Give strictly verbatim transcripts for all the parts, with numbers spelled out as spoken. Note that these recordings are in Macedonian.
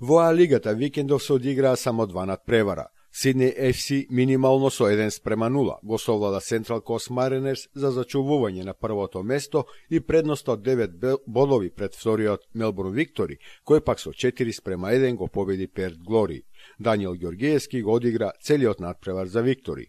Во А лигата викендов се одиграа само два надпревара. Сиднеј Еф Си минимално со еден спрема нула го совлада Централ Кост Маринерс за зачувување на првото место и предност од девет бодови пред вториот Мелбурн Виктори, кој пак со четири спрема еден го победи Перт Глори. Даниел Ѓоргиевски го одигра целиот надпревар за Виктори.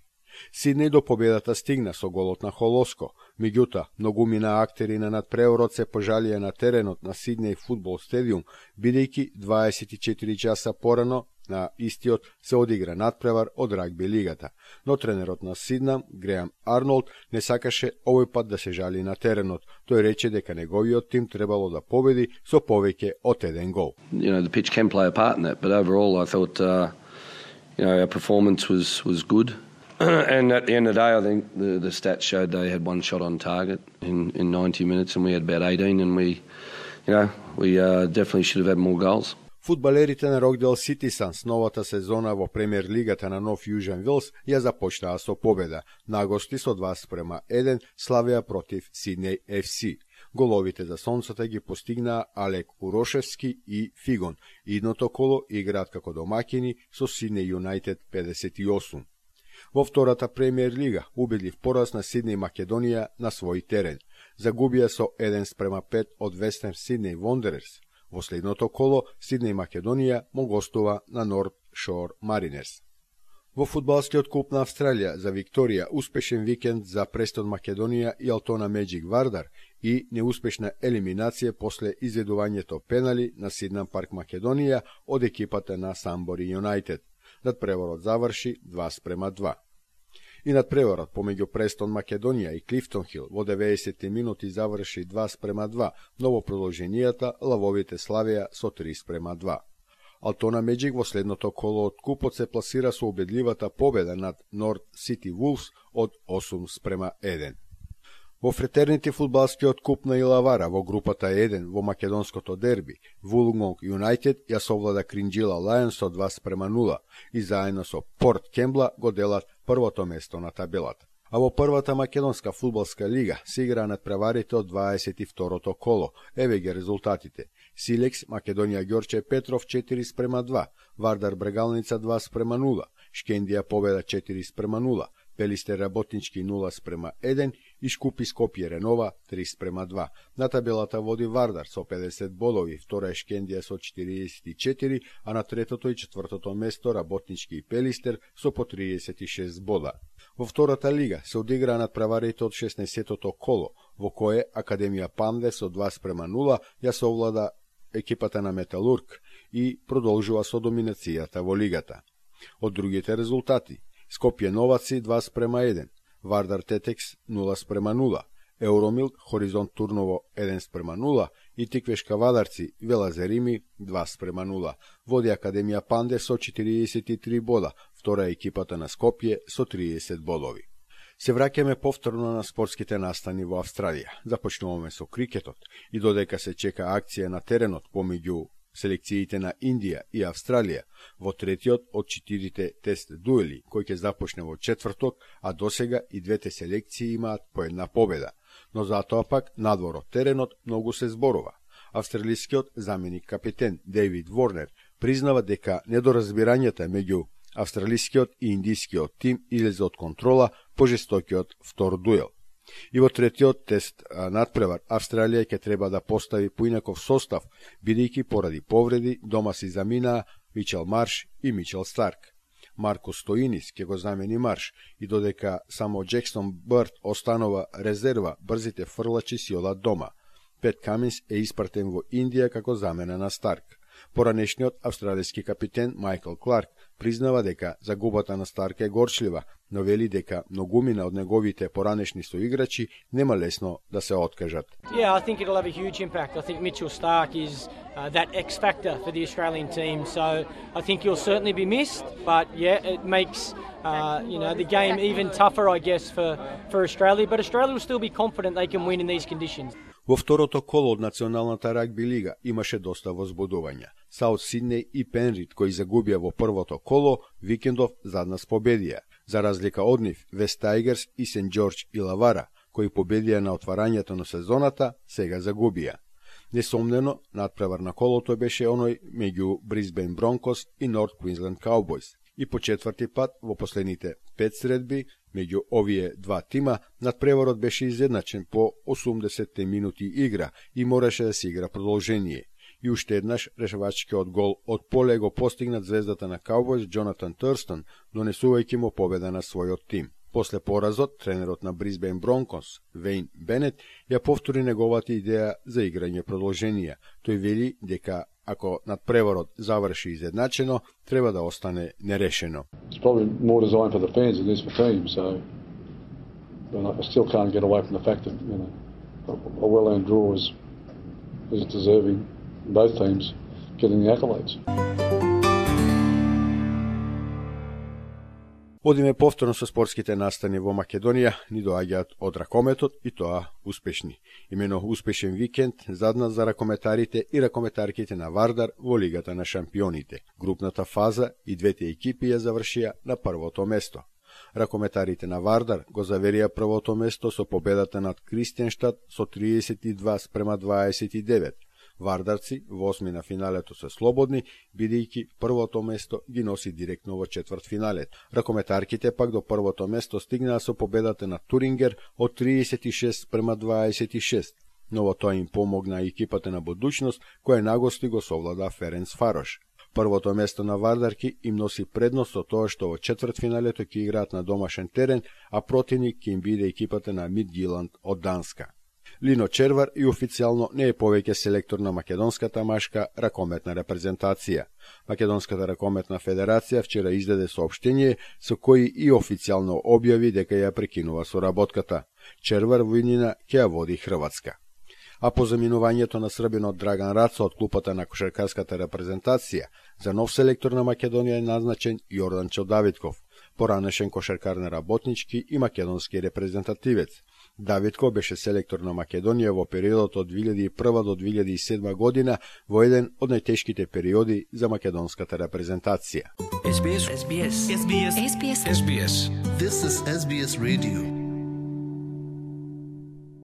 Сиднеј до победата стигна со голот на Холоско, меѓутоа многумина актери на надпреварот се пожалија на теренот на Сиднеј фудбал стадиум, бидејќи дваесет и четири часа порано на истиот се одигра надпревар од рагби лигата, но тренерот на Сиднам, Греам Арнолд, не сакаше овој пат да се жали на теренот. Тој рече дека неговиот тим требало да победи со повеќе од еден гол. You know, the pitch can play a part in that, but overall I thought uh, you know, our performance was was good. And at the end of the day, I think the, the stats showed they had one shot on target in, in ninety minutes, and we had about eighteen, and we, you know, we uh, definitely should have had more goals. Фудбалерите на Рокдел Сити Санс новата сезона во премиер лигата на Нов Јужен Вилс ја започнаа со победа. На гости со два спрема еден славија против Сиднеј Еф Си. Головите за сонцата ги постигнаа Алек Урошевски и Фигон. Идното коло играат како домаќини со Сиднеј Юнајтед педесет и осум. Во втората премиер лига убедлив пораз на Сиднеј Македонија на свој терен. Загубија со еден спрема пет од Вестерн Сиднеј Вондерерс. Во следното коло Сиднеј Македонија му гостува на Норт Шор Маринерс. Во фудбалскиот куп на Австралија за Викторија успешен викенд за Престон Македонија и Алтона Меджик Вардар и неуспешна елиминација после изведувањето пенали на Сиднам Парк Македонија од екипата на Самбори Юнајтед. Надпреварот заврши два спрема два. И надпреварот помеѓу Престон Македонија и Клифтон Хил во деветдесетти минути заврши два спрема два, но во продолженијата лавовите славија со три спрема два. Алтона Меджик во следното коло од купот се пласира со убедливата победа над Норт Сити Вулфс од осум спрема еден. Во фретернити фудбалскиот куп на Илавара во групата еден во македонското дерби, Вулнгонг Юнајтед ја совлада Кринџила Лајонс со два спрема нула и заедно со Порт Кембла го делат првото место на табелата. А во првата македонска фудбалска лига се игра надпреварите од дваесет и второто коло. Еве ги резултатите. Силекс Македонија Ѓорче Петров четири спрема два, Вардар Брегалница два спрема нула, Шкендија победа четири спрема нула, Пелистер Работнички нула спрема еден и Шкупи Скопје Ренова три спрема два. На табелата води Вардар со педесет бодови, втора е Шкендија со четириесет и четири, а на третото и четвртото место Работнички и Пелистер со по триесет и шест бода. Во втората лига се одиграа надпреварите од шеснаесеттото коло, во кое Академија Панде со два спрема нула ја совлада екипата на Металург и продолжува со доминацијата во лигата. Од другите резултати: Скопје Новаци два спрема еден, Вардар Тетекс нула спрема нула, Евромилк Хоризонт Турново еден спрема нула и Тиквешка Вадарци Велазерими два спрема нула. Води Академија Панде со четириесет и три бода, втора екипата на Скопје со триесет бодови. Се враќаме повторно на спортските настани во Австралија. Започнуваме со крикетот и додека се чека акција на теренот помеѓу селекциите на Индија и Австралија во третиот од четирите тест дуели, кој ќе започне во четврток, а досега и двете селекции имаат по една победа. Но затоа пак надвор од теренот многу се зборува. Австралискиот заменик капитен Дейвид Ворнер признава дека недоразбирањата меѓу австралискиот и индискиот тим излезе од контрола по жестокиот втор дуел. И во третиот тест надпревар Австралија ќе треба да постави поинаков состав, бидејќи поради повреди дома си заминаа Мичел Марш и Мичел Старк. Марко Стоинис ќе го замени Марш и додека само Джексон Бърт останува резерва, брзите фрлачи си одат дома. Пет Каминс е испратен во Индија како замена на Старк. Поранешниот австралиски капитен Майкл Кларк признава дека загубата на Старк е горчлива, но вели дека многумина од неговите поранешни соиграчи нема лесно да се откажат. Yeah, I think it'll have a huge impact. I think Mitchell Stark is uh, that X factor for the Australian team, so I think he'll certainly be missed, but yeah, it makes uh, you know, the game even tougher, I guess, for for Australia, but Australia will still be confident they can win in these conditions. Во второто коло од Националната рагби лига имаше доста возбудувања. Саут Сиднеј и Пенрид, кои загубија во првото коло, викендов заднас победија. За разлика од нив, Вест Тайгерс и Сент Џорџ Илавара, кои победија на отварањето на сезоната, сега загубија. Несомнено, надпревар на колото беше оној меѓу Брисбен Бронкос и Норт Квинсленд Каубојс. И по четврти пат во последните пет средби меѓу овие два тима надпреварот беше изедначен по осумдесет минути игра и мораше да се игра продолжение. И уште еднаш решавачкиот гол од поле го постигнат звездата на Каубојс Джонатан Турстон, донесувајќи му победа на својот тим. После поразот, тренерот на Брисбен Бронкос, Вейн Бенет, ја повтори неговата идеја за играње продолженија. Тој вели дека ако надпреварот заврши изедначено, треба да остане нерешено. It's probably more designed for the fans than it is for teams, so I still can't get away from the fact that, you know, a well-earned draw is, is deserving both teams getting the accolades. Одиме повторно со спортските настани во Македонија, ни доаѓаат од ракометот и тоа успешни. Имено успешен викенд задна за ракометарите и ракометарките на Вардар во Лигата на шампионите. Групната фаза и двете екипи ја завршија на првото место. Ракометарите на Вардар го заверија првото место со победата над Кристијанштад со триесет и два спрема дваесет и девет. Вардарци во осми на финалето се слободни, бидејќи првото место ги носи директно во четвртфиналет. Ракометарките пак до првото место стигнаа со победата на Турингер од триесет и шест спрема дваесет и шест. Но во тоа им помогна екипата на Будуќност, која нагости го совлада Ференц Фарош. Првото место на Вардарки им носи предност со тоа што во четвртфиналето ќе играат на домашен терен, а противник ќе им биде екипата на Мидтјylland од Данска. Лино Червар и официјално не е повеќе селектор на македонската машка ракометна репрезентација. Македонската ракометна федерација вчера издаде соопштение со кој и официјално објави дека ја прекинува соработката. Червар во иднина ќе ја води Хрватска. А по заминувањето на србинот Драган Рацо од клупата на кошаркарската репрезентација, за нов селектор на Македонија е назначен Јорданчо Давидков, поранешен кошаркар на работнички и македонски репрезентативец. Давидко беше селектор на Македонија во периодот од две илјади и прва до две илјади и седма година, во еден од најтешките периоди за македонската репрезентација. S B S S B S S B S S B S This is S B S Radio.